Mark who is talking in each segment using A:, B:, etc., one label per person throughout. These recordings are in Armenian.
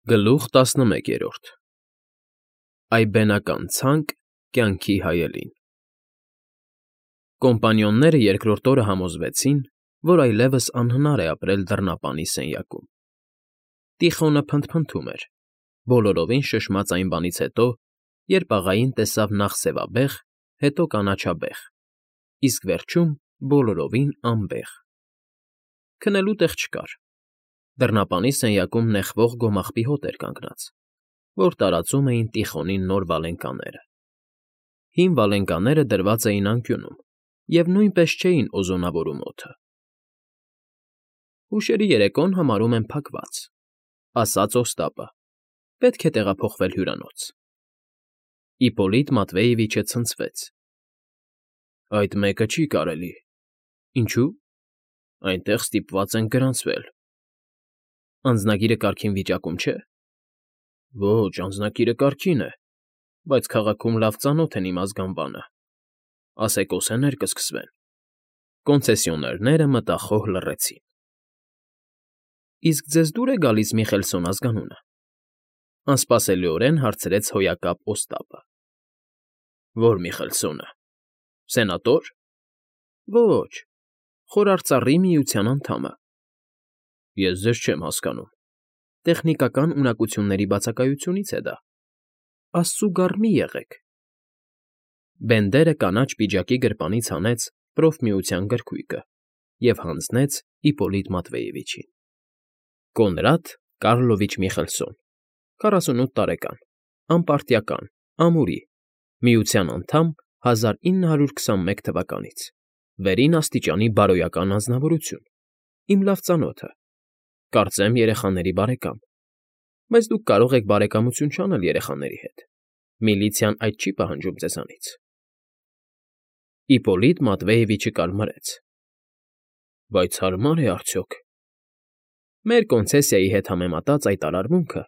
A: Գլուխ 11 Այբենական ցանկ կյանքի հայելին Կոմպանիոնները երկրորդ օրը համոզվեցին, որ այլևս անհնար է ապրել դռնապանի սենյակում։ Տիխոնը փնթփնթում էր, բոլորովին շշմած այն բանից հետո, երբ աղային տեսավ նախ սևաբեղ, հետո կանաչաբեղ, իսկ վերջում բոլորովին անբեղ։ Քնելու տեղ չկար։ Դռնապանի սենյակում նեխվող գոմաղբի հոտ էր կանգնած, որ տարածում էին Տիխոնի նոր վալենկաները։ Հին վալենկաները դրված էին անկյունում և նույնպես չէին օզոնավորում օդը։ «Հուշերի երեկոն համարում եմ փակված,֊ ասաց Օստապը,֊ պետք է տեղափոխվել հյուրանոց»։ Իպպոլիտ Մատվեևիչը ցնցվեց. «Այդ մեկը չի կարելի»։ «Ինչո՞ւ»։ «Այնտեղ ստիպված ենք գրանցվել»։ «Անձնագիրը կարգին վիճակում չէ»։ «Ոչ, անձնագիրը կարգին է, բայց քաղաքում լավ ծանոթ են իմ ազգանվանը, ասեկոսեներ կսկսվեն»։ Կոնցեսիոներները մտախոհ լռեցին։ «Իսկ ձեզ դուր է գալիս Միխելսոն ազգանունը,֊ անսպասելիորեն հարցրեց հոյակապ Օստապը։ «Ո՞ր Միխելսոնը, սենատո՞ր»։ «Ոչ, Խորարծառի միության անդամը»։ «Ես ձեզ չեմ հասկանում»։ «Տեխնիկական ունակությունների բացակայությունից է դա։ Աստծու գառ մի եղեք»։ Բենդերը կանաչ պիջակի գրպանից հանեց պրոֆմիության գրքույկը և հանձնեց Իպպոլիտ Մատվեևիչին։ Կոնրադ Կառլովիչ Միխելսոն, 48 տարեկան, անպարտիական, ամուրի, միության անդամ 1921 թվականից, վերին աստիճանի բարոյական անձնավորություն, իմ լավ ծանոթը, կարծեմ երեխաների բարեկամ, բայց դուք կարող եք բարեկամություն չանել երեխաների հետ, միլիցիան այդ չի պահանջում ձեզանից։ Իպպոլիտ Մատվեևիչը կարմրեց։ «Բայց հարմա՞ր է արդյոք»։ Մեր կոնցեսիայի հետ համեմատած այդ արարմունքը,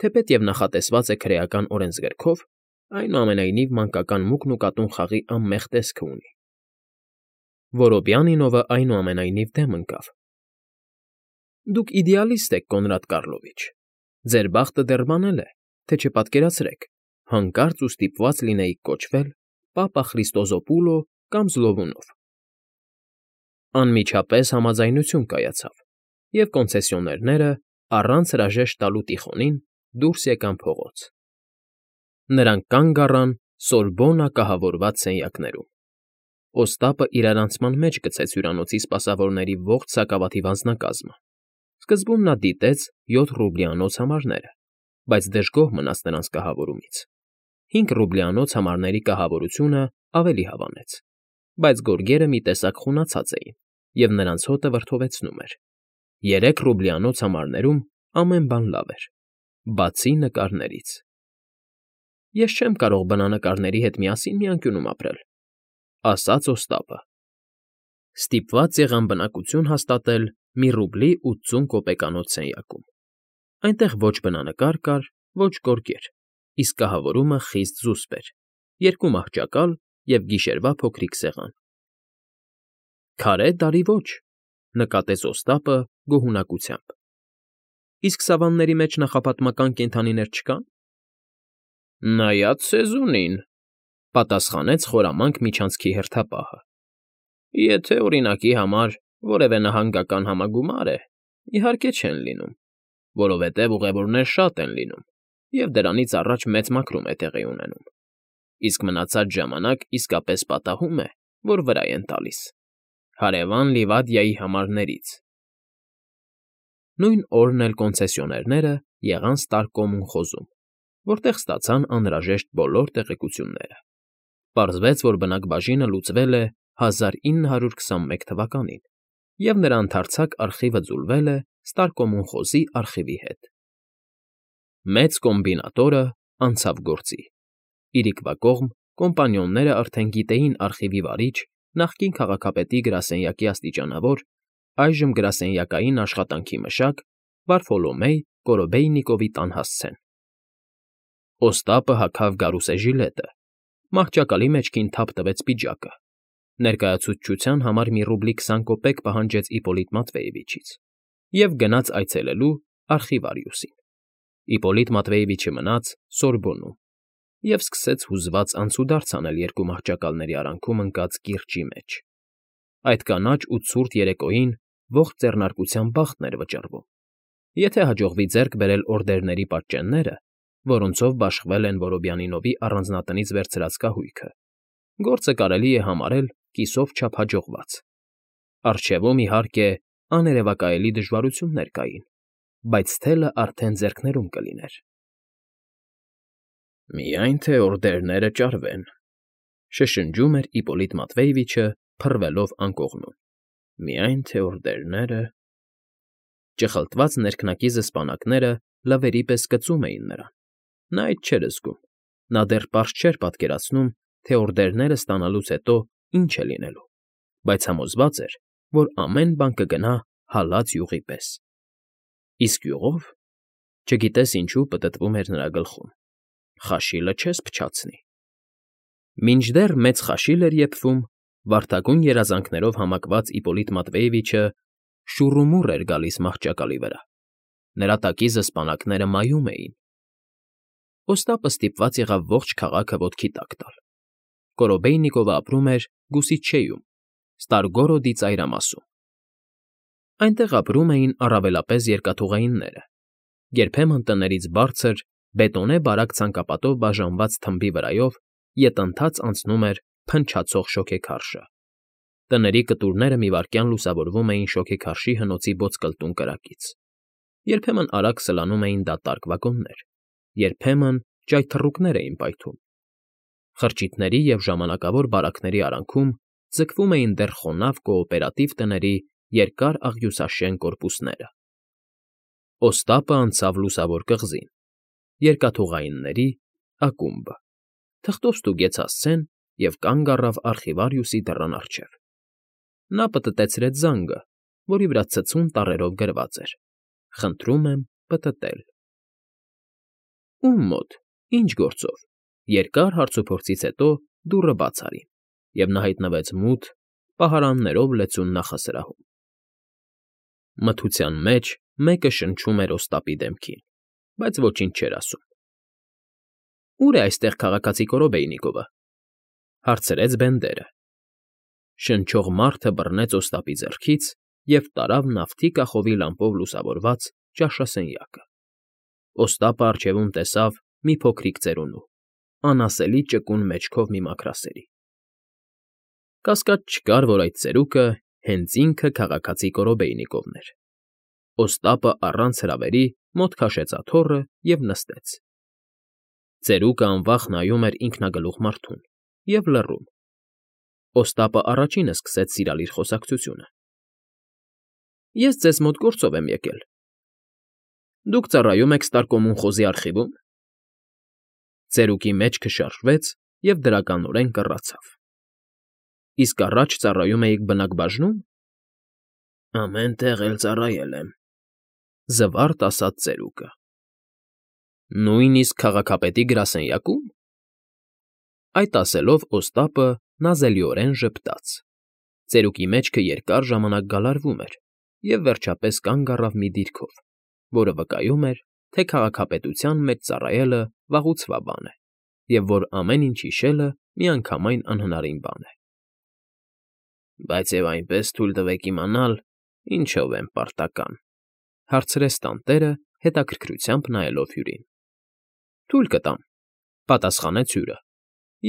A: թեպետև նախատեսված է քրեական օրենսգրքով, այնուամենայնիվ մանկական մուկն ու կատուն խաղի անմեղ տեսքը ունի։ Որոբյանինովը այնուամենայնիվ դեմ ընկավ։ «Դուք իդեալիստ եք, Կոնրադ Կառլովիչ, ձեր բախտը դեռ բանել է, թե չպատկերացրեք, հանկարծ ու ստիպված լինեիք կոչվել Պապա Խրիստոզոպուլո կամ Զլովունով»։ Անմիջապես համաձայնություն կայացավ, և կոնցեսիոներները, առանց հրաժեշտ տալու Տիխոնին, դուրս եկան փողոց։ Նրանք կանգ առան Սորբոննա կահավորված սենյակներում։ Օստապը իրարանցման մեջ գցեց հյուրանոցի սպասավորների ողջ սակավաթիվ անձնակազմը։ Սկզբում նա դիտեց 7 ռուբլիանոց համարները, բայց դժգոհ մնաց նրանց կահավորումից։ 5 ռուբլիանոց համարների կահավորությունը ավելի հավանեց, բայց գորգերը մի տեսակ խունացած էին, և նրանց հոտը վրդովեցնում էր։ 3 ռուբլիանոց համարներում ամեն բան լավ էր, բացի նկարներից։ «Ես չեմ կարող բնանկարների հետ միասին մի անկյունում ապրել», ասաց Օստապը։ Ստիպված եղան բնակություն հաստատել մի ռուբլի 80 կոպեկանոց սենյակում։ Այնտեղ ոչ բնանկար կար, ոչ գորգեր, իսկ կահավորումը խիստ զուսպ էր, 2 մահճակալ և գիշերվա փոքրիկ սեղան։ «Քարե տարի ոչ», նկատեց Օստապը գոհունակությամբ։ «Իսկ սավանների մեջ նախապատմական կենդանիներ չկա՞ն»։ «Նայած սեզոնին,֊ պատասխանեց խորամանկ միջանցքի հերթապահը։ «Եթե, օրինակի համար, որևէ նահանգական համագումար է, իհարկե չեն լինում, որովհետև ուղևորներ շատ են լինում, և դրանից առաջ մեծ մաքրում է տեղի ունենում, իսկ մնացած ժամանակ իսկապես պատահում է, որ վրա են տալիս, հարևան Լիվադիայի համարներից»։ Նույն օրն էլ կոնցեսիոներները եղան Ստարկոմուն խոզում, որտեղ ստացան անհրաժեշտ բոլոր տեղեկությունները։ Պարզվեց, որ բնակբաժինը լուծվել է 1921 թվականին, և նրա ընդարձակ արխիվը ձուլվել է Ստարկոմուն խոզի արխիվի հետ։ Մեծ կոմբինատորը անցավ գործի։ Իրիկվա կողմ կոմպանիոնները արդեն գիտեին արխիվի վարիչ, նախկին քաղաքապետի գրասենյակի աստիճանավոր, այժմ գրասենյակային աշխատանքի մշակ Վարֆոլոմեյ Կորոբեյնիկովի տան հասցեն։ Օստապը հագավ գարուսե ժիլետը, մահճակալի մեջքին թափ տվեց պիջակը, ներկայացուցչության համար մի ռուբլի 20 կոպեկ պահանջեց Իպպոլիտ Մատվեևիչից և գնաց այցելելու արխիվարիուսին։ Իպոլիտ Մատվեևիչը մնաց Սորբոնում և սկսեց հուզված անցուդարձ անել երկու մահճակալների արանքում ընկած կիրճի մեջ. այդ կանաչ ու ցուրտ երեկոյին ողջ ձեռնարկության բախտն էր վճռվում, եթե հաջողվի ձեռք բերել օրդերների պատճենները, որոնցով բաշխվել են Որոբյանինովի առանձնատնից վերցրած կահույքը, գործը կարելի է համարել կիսով չափ հաջողված. առջևում, իհարկե, աներևակայելի դժվարություններ կային, բայց թելը արդեն ձեռքներում կլիներ։ «Միայն թե օրդերները ճարվեն», շշնջում էր Իպոլիտ Մատվեևիչը, փռվելով անկողնում։ «Միայն թե օրդերները…» Ճխլտված ներքնակի զսպանակները լվերի պես կծում էին նրան։ Նա այդ չէր զգում, նա դեռ պարզ չէր պատկերացնում, թե օրդերները ստանալուց հետո ինչ է լինելու, բայց համոզված էր, որ ամեն բան կգնա հալած յուղի պես։ Իսկ յուղով… Չգիտես ինչու պտտվում էր նրա գլխում. խաշիլը չես փչացնի։ Մինչդեռ մեծ խաշիլ էր եփվում, վարդագույն երազանքներով համակված Իպոլիտ Մատվեևիչը շուռումուռ էր գալիս մահճակալի վրա։ Նրա տակի զսպանակները մայում էին։ Օստապը ստիպված եղավ ողջ քաղաքը ոտքի տակ տալ։ Կորոբեյնիկովը ապրում էր Գուսիչեյում, Ստարգորոդի ծայրամասում։ Այնտեղ ապրում էին առավելապես երկաթուղայինները, երբեմն տներից բարձր, բետոնե բարակ ցանկապատով բաժանված թմբի վրայով ետընթաց անցնում էր փնչացող շոգեքարշը։ Տների կտուրները մի վայրկյան լուսավորվում էին շոգեքարշի հնոցի ոսկլտուն կրակից։ Երբեմն արագ սլանում էին դատարկ վագոններ, երբեմն ճայթռուկներ էին պայթում։ Խրճիթների և ժամանակավոր բարակների արանքում ձգվում էին դեռ խոնավ կոոպերատիվ տների երկար աղյուսաշեն կորպուսները։ Օստապը անցավ լուսավոր կղզին, երկաթուղայինների ակումբը, թղթով ստուգեց հասցեն և կանգ առավ արխիվարիուսի դռան առջև։ Նա պտտեցրեց զանգը, որի վրա ցցուն տառերով գրված էր. «Խնդրում եմ պտտել»։ Ո՞ւմ մոտ, ի՞նչ գործով։ Երկար հարցուփորձից հետո դուռը բաց արին, և նա հայտնվեց մութ, պահարաններով լեցուն նախասրահում։ Մթության մեջ մեկը շնչում էր Օստապի դեմքին, բայց ոչինչ չէր ասում։ «Ո՞ւր է այստեղ քաղաքացի Կորոբեյնիկովը,֊ հարցրեց Բենդերը։ Շնչող մարդը բռնեց Օստապի ձեռքից և տարավ նավթի կախովի լամպով լուսավորված ճաշասենյակը։ Օստապը առջևում տեսավ մի փոքրիկ ծերունու, անասելի ճկուն մեջքով մի մաքրասերի։ Կասկած չկար, որ այդ ծերուկը հենց ինքը քաղաքացի Կորոբեյնիկովն էր։ Օստապը առանց հրավերի մոտ քաշեց աթոռը և նստեց։ Ծերուկը անվախ նայում էր ինքնագլուխ մարդուն և լռում։ Օստապը առաջինը սկսեց սիրալիր խոսակցությունը. «Ես ձեզ մոտ գործով եմ եկել։ Դուք ծառայում եք Ստարկոմուն խոզի արխիվո՞ւմ»։ Ծերուկի մեջքը շարժվեց և դրականորեն կռացավ։ «Իսկ առաջ ծառայում էիք բնակբաժնո՞ւմ»։ «Ամեն տեղ էլ ծառայել եմ,֊ զվարթ ասաց ծերուկը։ «Նույնիսկ քաղաքապետի գրասենյակո՞ւմ»։ Այդ ասելով Օստապը նազելիորեն ժպտաց։ Ծերուկի մեջքը երկար ժամանակ գալարվում էր և վերջապես կանգ առավ մի դիրքով, որը վկայում էր, թե քաղաքապետության մեջ ծառայելը վաղուցվա բան է, և որ ամեն ինչ հիշելը միանգամայն անհնարին բան է։ «Բայց և այնպես թույլ տվեք իմանալ, ինչով եմ պարտական,֊ հարցրեց տանտերը, հետաքրքրությամբ նայելով հյուրին։ «Թույլ կտամ,֊ պատասխանեց հյուրը։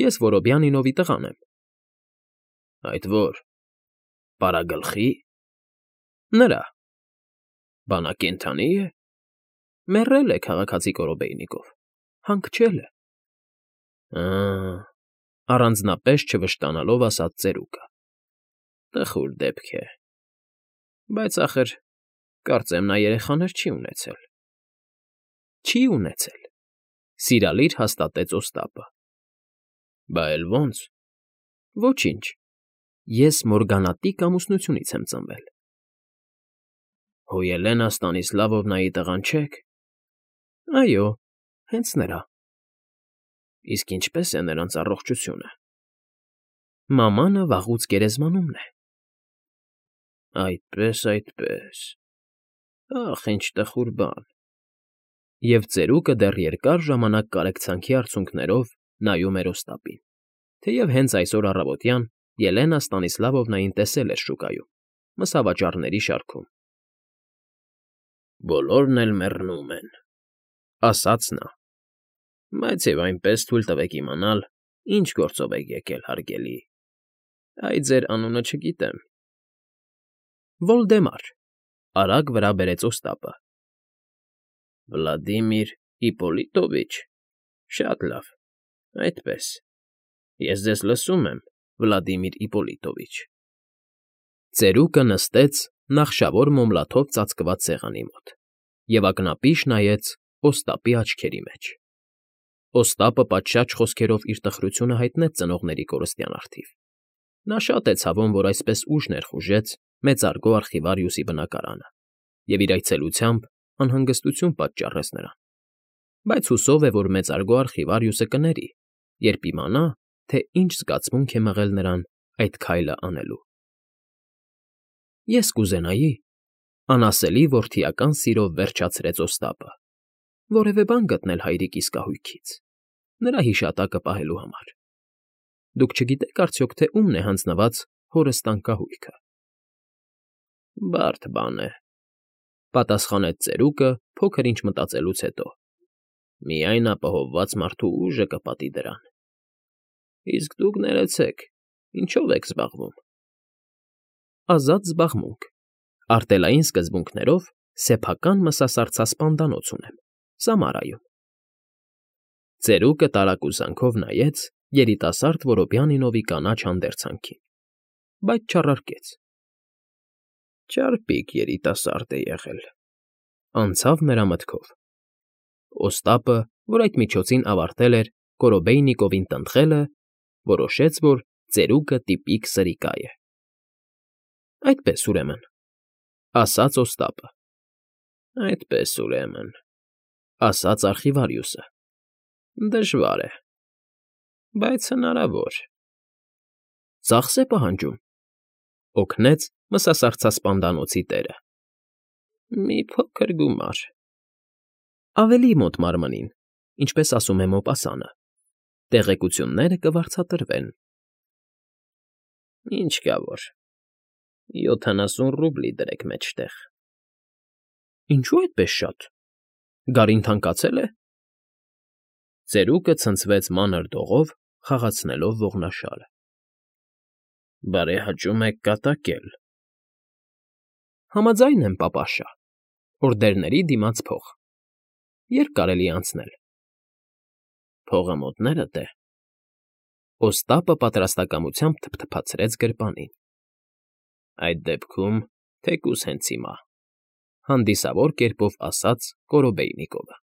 A: Ես Որոբյանինովի տղան եմ»։ «Այդ ո՞ր, պարագլխի՞։ Նրա։ Բանակենդանի՞ է։ Մեռել է քաղաքացի Կորոբեյնիկով, հանգչել է»։ Ա՜, առանձնապես չվշտանալով ասաց ծերուկը։ «Տխուր դեպք է, բայց, ախր, կարծեմ նա երեխաներ չի ունեցել»։ Չի ունեցել,֊ սիրալիր հաստատեց Օստապը։ Բա էլ ո՞նց։ Ոչինչ, ես Մորգանատիկ ամուսնությունից եմ ծնվել։ Հո Ելենա Ստանիսլավովնայի տղան չե՞ք։ Այո, հենց նրա։ Իսկ ինչպե՞ս է նրանց առողջությունը։ Մամանը վաղուց գերեզմանումն է։ Այդպե՜ս, այդպե՜ս… Ախ, ինչ տխուր բան։ Եվ ծերուկը դեռ երկար ժամանակ կարեկցանքի արցունքներով նայում էր Օստապին, թեև հենց այսօր առավոտյան Ելենա Ստանիսլավովնային տեսել էր շուկայում, մսավաճառների շարքում։ «Բոլորն էլ մեռնում են,֊ ասաց նա,֊ բայց և այնպես թույլ տվեք իմանալ, ինչ գործով եք եկել, հարգելի… Այ ձեր անունը չգիտեմ»։ «Վոլդեմար,֊ արագ վրա բերեց Օստապը։ «Վլադիմիր Իպոլիտովիչ… Շատ լավ, այդպես… Ես ձեզ լսում եմ, Վլադիմիր Իպոլիտովիչ»։ Ծերուկը նստեց նախշավոր մոմլաթով ծածկված սեղանի մոտ և ակնապիշ նայեց Օստապի աչքերի մեջ։ Օստապը պատշաճ խոսքերով իր տխրությունը հայտնեց ծնողների կորստյան առթիվ։ Նա շատ է ցավում, որ այսպես ուշ ներխուժեց մեծարգո արխիվարիուսի բնակարանը և իր այցելությամբ անհանգստություն պատճառեց նրան, բայց հուսով է, որ մեծարգո արխիվարիուսը կների, երբ իմանա, թե ինչ զգացմունք է մղել նրան այդ քայլը անելու։ «Ես կուզենայի,֊ անասելի որդիական սիրով վերջացրեց Օստապը,֊ որևէ բան գտնել հայրիկիս կահույքից, նրա հիշատակը պահելու համար։ Դուք չգիտեք արդյոք, թե ումն է հանձնված հորս տան կահույքը»։ «Բարդ բան է,֊ պատասխանեց ծերուկը փոքր ինչ մտածելուց հետո,֊ միայն ապահովված մարդու ուժը կպատի դրան։ Իսկ դուք ներեցեք, ինչո՞վ եք զբաղվում»։ «Ազատ զբաղմունք, արտելային սկզբունքներով սեփական մսասարձասպանդանոց ունեմ Սամարայում»։ Ծերուկը տարակուսանքով նայեց երիտասարդ Որոբյանինովի կանաչ հանդերձանքին, բայց չառարկեց։ «Ճարպիկ երիտասարդ է եղել,֊ անցավ նրա մտքով։ Օստապը, որ այդ միջոցին ավարտել էր Կորոբեյնիկովին տնտղելը, որոշեց, որ ծերուկը տիպիկ սրիկա է։ «Այդպես, ուրեմն,֊ ասաց Օստապը։ «Այդպես, ուրեմն,֊ ասաց արխիվարիուսը։ Դժվար է, բայց հնարավոր»։ «Ծախս է պահանջում,֊ օգնեց մսասարձասպանդանոցի տերը։ «Մի փոքր գումար»։ «Ավելի մոտ մարմնին, ինչպես ասում է Մոպասանը, տեղեկությունները կվարձատրվեն»։ «Ինչ կա որ, 70 ռուբլի դրեք մեջտեղ»։ «Ինչո՞ւ այդպես շատ, գարին թանկացել է»։ Ծերուկը ցնցվեց մանր դողով, խաղացնելով ողնաշարը։ «Բարեհաճում եք կատակել»։ «Համաձայն եմ, պապաշա, օրդերների դիմաց փող… Ե՞րբ կարելի է անցնել»։ «Փողը մոտներդ է»։ Օստապը պատրաստակամությամբ թփթփացրեց գրպանին։ «Այդ դեպքում թեկուզ հենց հիմա», հանդիսավոր կերպով ասաց Կորոբեյնիկովը։